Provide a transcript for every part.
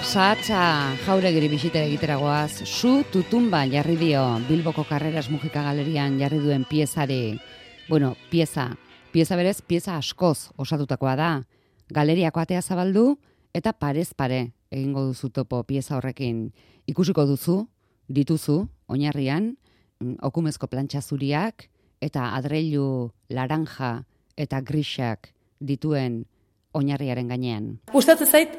Sahatza Jauregiri bisita egiteragoaz, Su Tutumba jarri dio Bilboko Karreras Mujika Galerian jarri duen piezari. Bueno, pieza berez, pieza askoz osatutakoa da. Galeriako atea zabaldu eta parez pare egingo duzu topo pieza horrekin. Ikusiko dituzu, oinarrian, okumezko plantxa zuriak eta adreilu laranja eta grisak dituen oinarriaren gainean. Gustatzen zait,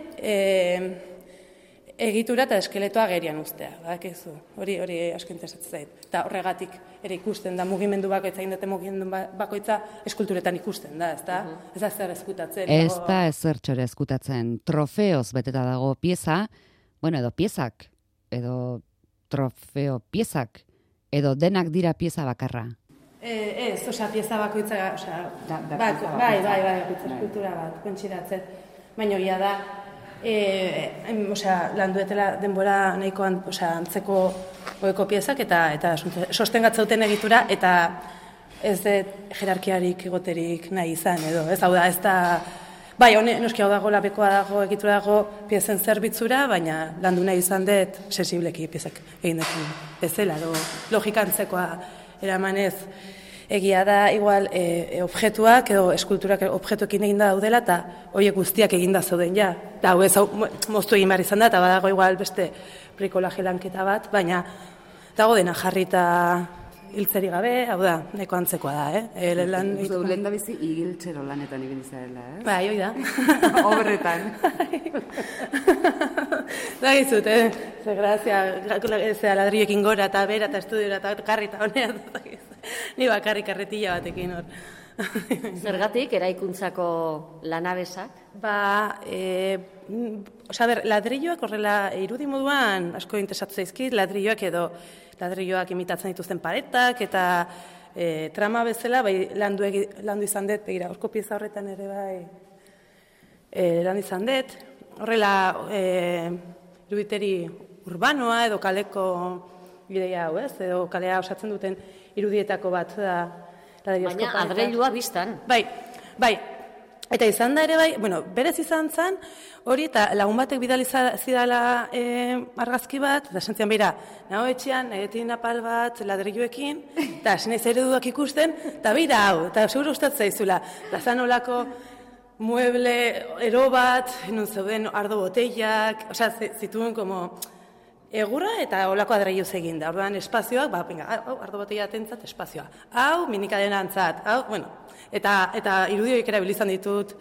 egitura eta eskeletoa gerian uztea, badakizu. Hori asko interesatzen zait. Eta horregatik ere ikusten da mugimendu bakoitza, indate mugimendu bakoitza eskulturetan ikusten da, ezta? Ez da zer eskutatzen. Ez da ezertxore eskutatzen. Trofeoz beteta dago pieza, bueno, edo piezak, edo trofeo piezak, edo denak dira pieza bakarra. Ez, pieza bakoitza, bai, eskultura bat, kontsiratzen. Baina hori da, landuetela denbora nahikoan antzeko goeko piezak eta sostengatzauten egitura eta ez dut jerarkiarik egoterik nahi izan edo. Ez da, bai, noski hau dago, labekoa dago, egitura dago piezen zerbitzura, baina landu nahi izan dut sensibleki piezak egin dekin bezala, logika antzekoa eramanez. Egia da, igual, objektuak edo eskulturak objektuekin egin da daudela eta horiek guztiak egin da zauden ja. Eta hau moztu egin behar izan da, eta badago igual beste brikolaje lanketa bat, baina dago dena jarrita hiltzeri gabe, hau da, nahiko antzekoa da, Lehen da bizi igiltzero lanetan ibili zarela, Bai, hoi da. Obretan. Da gizut, ze grazia, ladrioekin gora eta bera eta estudiora eta karri eta honea. Ni bakarrik karretilla batekin hor. Zergatik, eraikuntzako lanabesak? Ladrilloak horrela irudi moduan asko interesatu zaizkit, ladrilloak edo ladrilloak imitatzen dituzten paretak eta trama bezala, bai landu izan dut, begira, horko pieza horretan ere bai landu izan dut. Horrela iruditeri urbanoa edo kaleko ideia hau, edo kalea osatzen duten irudietako bat da. Baina adreilua biztan. Bai. Eta izan da ere bai, berez izan zen, hori eta lagun batek bidali zidala argazki bat, eta sentzian beira, nago etxean, egetin apal bat, ladrilloekin, eta sinaiz ereduak ikusten, eta beira hau, eta seguro gustatzen zaizula, eta zan olako mueble ero bat, nun zeuden ardo botellak, zituen como egurra eta olako adreiluz egin da. Orduan espazioak, ardo botella atentzat espazioa. Hau, minikadena antzat, hau, eta irudioik ere bilizan ditut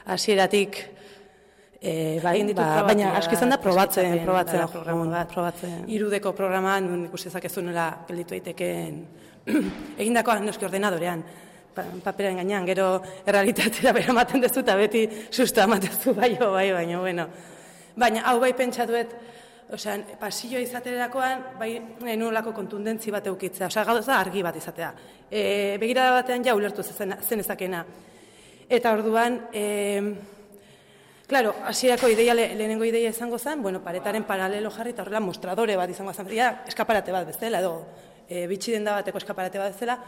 hasieratik, baina asko izan da probatzen. Irudeko programan, ikusi ezakezunela gelditu daiteken egindakoa noski ordenadorean, paperaren gainean, gero errealitatera bera ematen dezu eta beti susta ematezu baina, bueno. Baina hau bai pentsatuet, pasilloa izaterakoan, bai nolako kontundentzi bat eukitzea, gauza argi bat izatea. Begirada batean ja ulertu zen ezakena. Eta orduan, claro, hasierako lehenengo ideia izango zen, paretaren paralelo jarri eta horrela mostradore bat izango zen, eskaparate bat bezala, edo bitxi denda bateko eskaparate bat bezala,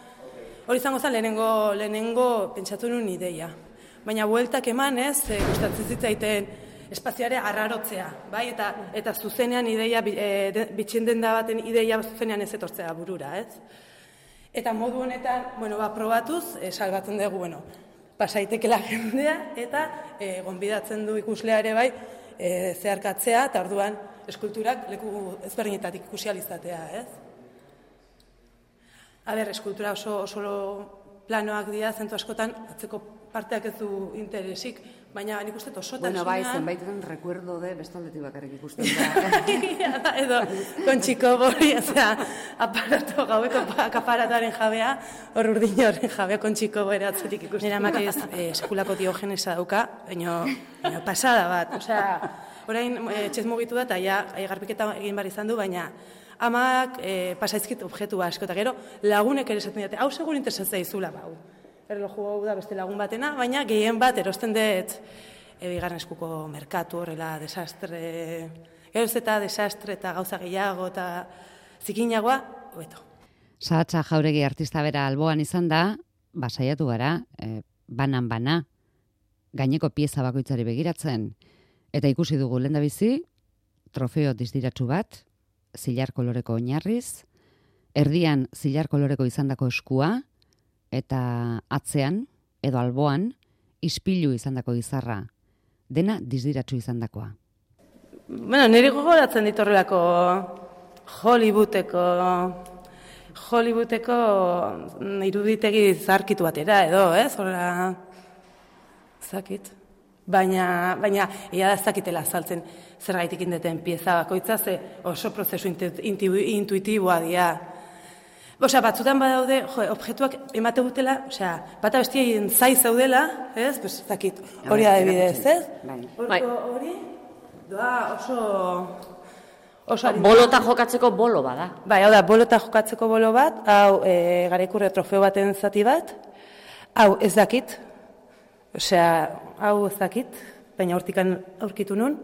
hori izango zen lehenengo pentsatu nuen ideia. Baina bueltak emanez, gustatzen zitzaiten espazioare arrarotzea, bai, eta zuzenean ideia, bitxien denda baten ideia zuzenean ez etortzea burura, ez? Eta modu honetan, probatuz, salbatzen dugu, pasaitekela jendea, eta gonbidatzen du ikuslea ere bai, zeharkatzea, eta orduan eskulturak leku ezberdinetatik ikusi alizatea, ez? Eskultura oso planoak dira, zentu askotan, atzeko parteak ez du interesik, baina nik uste osotasunean... Bai, zenbaiten recuerdo de bestaldetik bakarrik ikusten da. Edo, kontxiko bori, aparato gaueko aparataren jabea, hor urdin horren jabea kontxiko bori atzetik ikusten. Nera makez sekulako diogenesa dauka, baina pasada bat. Orain etxez mugitu da, eta garbiketa egin bar izan du, baina amak pasaizkit objektu asko, eta gero lagunek ere esaten dute, hau segur interesatzen zaizula, bau. Erloju hau da beste lagun batena, baina gehien bat erosten dut bigarren eskuko merkatu horrela desastre, geroz eta desastre eta gauza gehiago eta zikinagoa, hobeto. Sahatza Jauregi artista bera alboan izan da, saiatu gara, banan-bana, gaineko pieza bakoitzari begiratzen, eta ikusi dugu lehendabizi, trofeo dizdiratsu bat, zilar koloreko oinarriz, erdian zilar koloreko izandako eskua, eta atzean, edo alboan, ispilu izandako izarra, dena dizdiratsu izandakoa. Bueno, niri gogoratzen ditorrelako Hollywoodeko iruditegi zarkitu batera, edo, ez? Horra, zakit. Baina ia ez dakitela azaltzen zergaitik indeten pieza bakoitza, ze oso prozesu intuitiboa dira. Osea, batzutan badaude, objektuak emate dutela, osea, bata bestien zai zaudela, ez? Pues zakit, hori adibidez, ez? Hori, doa oso bolota jokatzeko bolo bada. Bai, hau da, bolota jokatzeko bolo bat, hau Garaikurre trofeo baten zati bat, hau ez dakit, osea, hau ez dakit, baina hortikan aurkitu nun,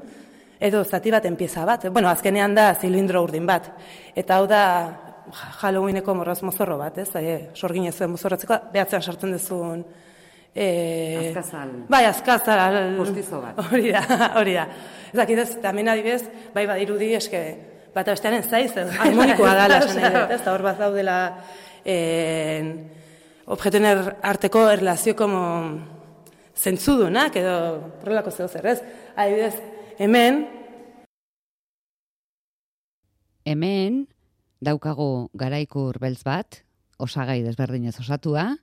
edo zati baten pieza bat. Bueno, azkenean da zilindro urdin bat. Eta hau da Halloweeneko morroz mozorro bat, ez? Sorgin ez zuen mozorratzeko, behatzean sartzen duzun... Azkazal. Bai, azkazal... Postizo bat. Hori da. Ez dakit ez, eta hemen adibez, bai badirudi eske, bata bestearen zaiz, harmonikoa da, lasan edo, ez? Eta hor bat daudela objektuen arteko erlazio como zentzudunak, edo horrelako zeo zer, ez? Adibidez, Hemen daukagu garaikur beltz bat, osagai desberdinez osatua,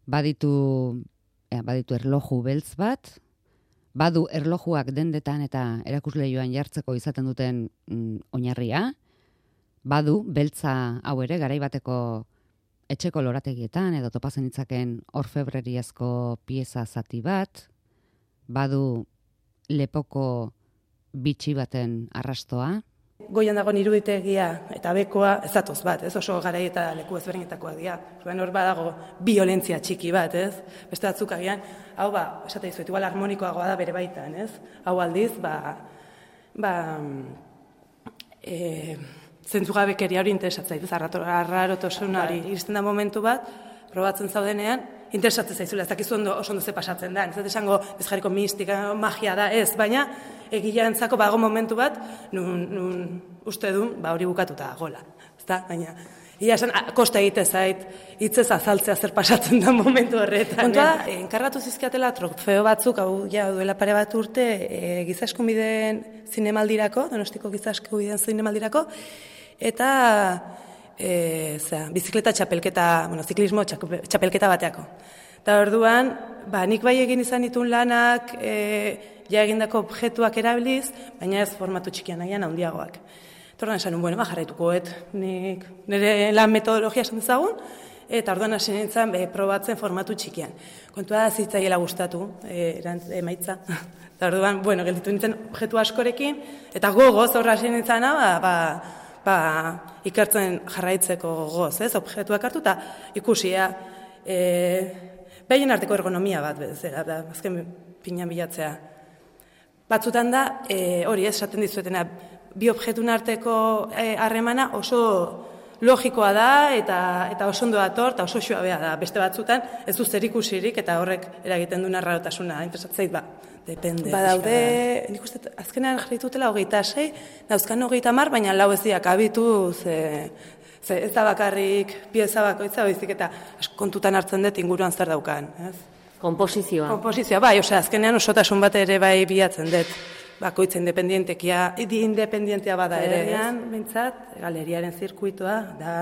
baditu erloju beltz bat, badu erlojuak dendetan eta erakusleioan jartzeko izaten duten oinarria, badu beltza hau ere garaibateko etxeko lorategietan edo topazen ditzaken orfebreriazko pieza zati bat, badu lepoko bitxi baten arrastoa. Goian dagoen iruditegia eta bekoa ez datoz bat, ez? Oso garai eta leku ezberdinetakoak dira. Hor badago biolentzia txiki bat, ez? Beste batzuk agian, hau esate dizuet, igual harmonikoagoa da bere baitan, ez? Hau aldiz, zentzugabekeria hori interesatzen zaitu, arrarotasunari iristen da momentu bat, probatzen zaudenean, interesatzen zaizula, ez dakizu oso ondo ze pasatzen da, ez esango ez jarriko mistika, magia da, ez, baina egileantzako bago momentu bat, nun uste duen, hori bukatuta gola, ezta, baina, ia esan, kosta egite zait, hitzez azaltzea zer pasatzen da momentu horretan. Kontua, enkargatu zizkiatela trofeo batzuk, hau duela pare bat urte, Giza Eskubideen zinemaldirako, Donostiko Giza Eskubideen zinemaldirako, eta bizikleta txapelketa, ziklismo txapelketa bateako. Eta orduan, nik bai egin izan ditun lanak, ja egindako objektuak erabiliz, baina ez formatu txikian nahian handiagoak. Eta orduan esan, jarraitukoet, nik nire lan metodologia esan dezagun, eta orduan hasi nintzen probatzen formatu txikian. Kontua da zitzaiela gustatu, emaitza. Eta orduan, gelditu nintzen objektu askorekin, eta gogoz horra hasi nintzen, ikertzen jarraitzeko gogoz, ez? Objektuak hartu eta ikusia, behien arteko ergonomia bat bezala, azken pinan bilatzea. Batzutan da, hori esaten dizuetena, bi objektun arteko harremana oso logikoa da eta oso ondo dator eta oso suabea da. Beste batzutan ez du zer ikusirik eta horrek eragiten duen arrarotasuna. Interesatzeit, depende. Badaude, nik uste, azkenean jarritutela 26, dauzkan 30, baina 4 ez diak abitu, ez da bakarrik pieza bakoitza, baizik eta kontutan hartzen dut inguruan zer daukan. Komposizioa. Komposizioa, bai, azkenean osotasun bat ere bai bilatzen dut. Bakoitza independientea bada ere. Bintzat, galeriaren zirkuitoa da,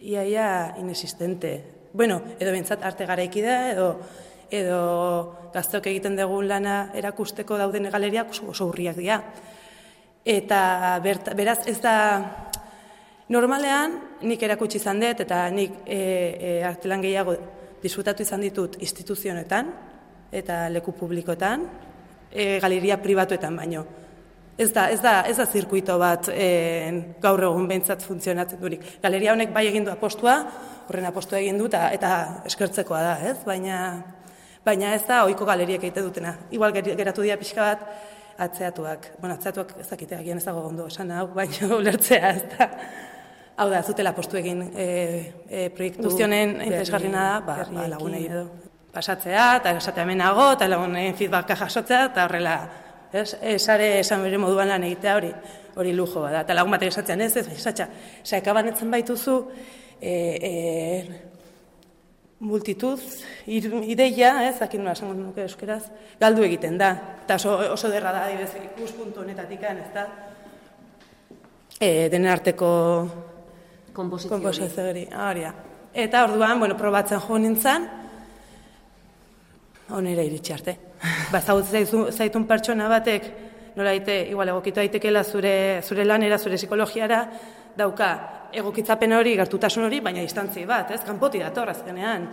ia inexistente. Bueno, edo bintzat arte garaiki da, edo gazteok egiten dugun lana erakusteko dauden galeriak oso urriak dira. Eta beraz ez da, normalean nik erakutsi izan dut, eta nik artelan gehiago disfrutatu izan ditut instituzionetan, eta leku publikoetan, galeria pribatuetan baino. Ez da zirkuito bat gaur egun behintzat funtzionatzen durik. Galeria honek bai egin du apostua, horren apostua egin du eta eskertzekoa da, ez? Baina ez da ohiko galeriek egite dutena. Igual geratu dira pixka bat atzeatuak. Atzeatuak ez dakite agian ez dago ondo esan hau, baina ulertzea ez da. Hau da, zutela apostu egin proiektu honen interesgarriena da, lagunei edo. Pasatzea, eta esatea hemenago, eta lagunen feedbacka jasotzea, eta horrela Sare esan bere moduan lan egitea hori lujo bada. Eta lagun batek esatzen ez, esatxa, sakabanetzen baituzu multitud, ideia, zakin nola esango nuke euskeraz, galdu egiten da. Eta oso derra da, adibidez, ikuspuntu honetatik, ez da, denen arteko konposizio hori. Eta orduan, probatzen jo nintzen, onera iritsi arte. Zaitun pertsona batek, nola igual egokitu daitekela zure lanera, zure psikologiara, dauka egokitzapen hori, gertutasun hori, baina distantzi bat, kanpoti dator azkenean.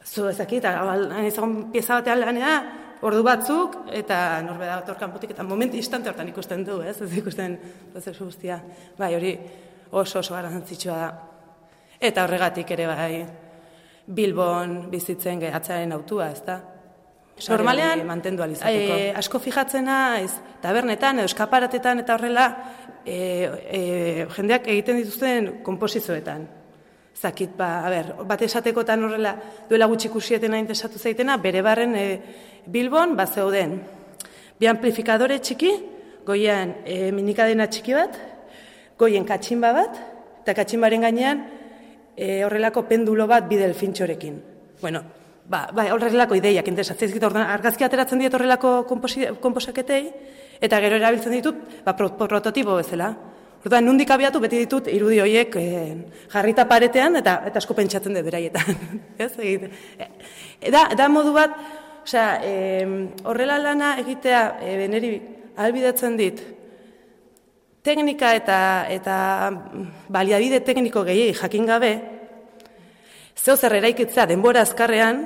Zu ezakit, ezagun pieza batean lanea, ordu batzuk, eta norbera dator kanpotik, eta moment instante hortan ikusten du, ez ikusten prozesu guztia. Bai, hori oso garrantzitsua da. Eta horregatik ere bai, Bilbon bizitzen gehatzaren autua, ez da? Normalean, mantendu alizateko. Asko fijatzen naiz, tabernetan edo eskaparatetan eta horrela, jendeak egiten dituzten konposizioetan. Zakit, bat esatekotan horrela duela gutxi ikusietena interesatu zaitena, bere barren Bilbon zeuden bi amplifikadore txiki, goian minikadena txiki bat, goien katxinba bat, eta katxinbaren gainean horrelako pendulo bat bi delfintxorekin. Bueno, horrelako ideiak interesatzen dizkit, argazki ateratzen diet horrelako konposaketei, eta gero erabiltzen ditut prototipo bezala. Orduan, nundik abiatu beti ditut irudi horiek jarrita paretean eta asko pentsatzen dut beraietan. Da modu bat, horrela lana egitea niri ahalbidetzen dit, teknika eta baliabide tekniko gehiegi jakin gabe, zeo zer eraikitzea denbora azkarrean,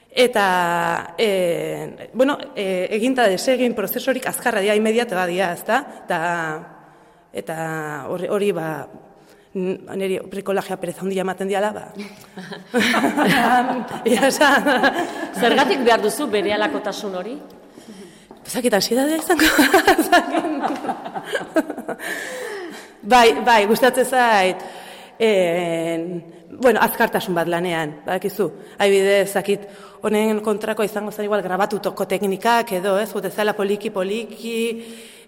eta eginta desegin prozesorik azkarra dira, imediata badia, ezta? Eta hori niri brikolagia pereza handia ematen diala, Zergatik behar duzu bere alakotasun hori? Zakit, ansiedadea izango. Bai, gustatzen zait. Azkartasun bat lanean, badakizu. Adibidez, zakit, honen kontrako izango zen igual grabatutoko teknikak edo, ez, gutezala poliki,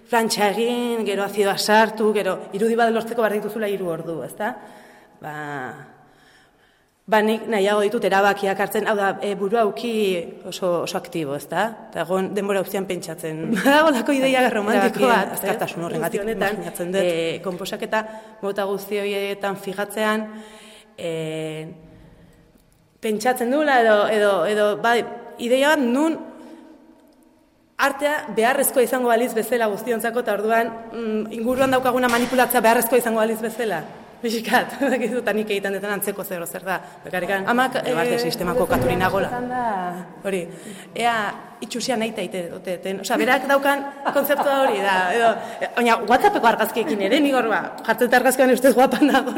plantxa egin, gero azidoa sartu, gero irudi bat lortzeko behar dituzula 3 ordu, ezta? Nik nahiago ditut erabakiak hartzen, hau da, burua auki oso aktibo, ezta? Eta egon denbora guztian pentsatzen. Badago lako ideia romantiko bat, azkartasun horrengatik imaginatzen dut. Konposaketa mota guzti horietan figatzean, pentsatzen duela edo ideia bat nun artea beharrezkoa izango baliz bezala guztiontzako, eta orduan inguruan daukaguna manipulatzea beharrezkoa izango baliz bezala. Bizikat, eta nik egiten detan antzeko zer da. Bekarikan, amak sistemako katurinagola. Hori, ea itxusia nahi taite duteten. Berak daukan konzeptua hori da. Baina, WhatsAppeko argazkiekin ere, nik horba, jartzen argazkian ustez guapan dago.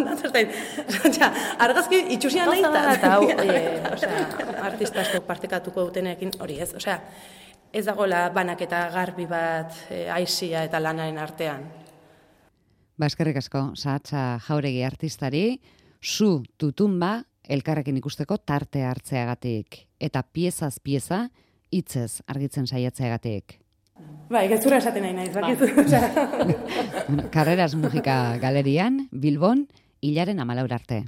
Argazki itxusia nahi eta artista asko partekatuko dutenekin hori ez. Ez dagoela banaketa garbi bat aizia eta lanaren artean. Eskerrik asko, Sahatza Jauregi artistari, Su Tutumba elkarrekin ikusteko tarte hartzeagatik, eta piezaz pieza hitzez argitzen saiatzeagatik. Gezurra esaten nahi naiz, bakizu. Carreras Musika Galerian, Bilbon, hilaren 14 arte.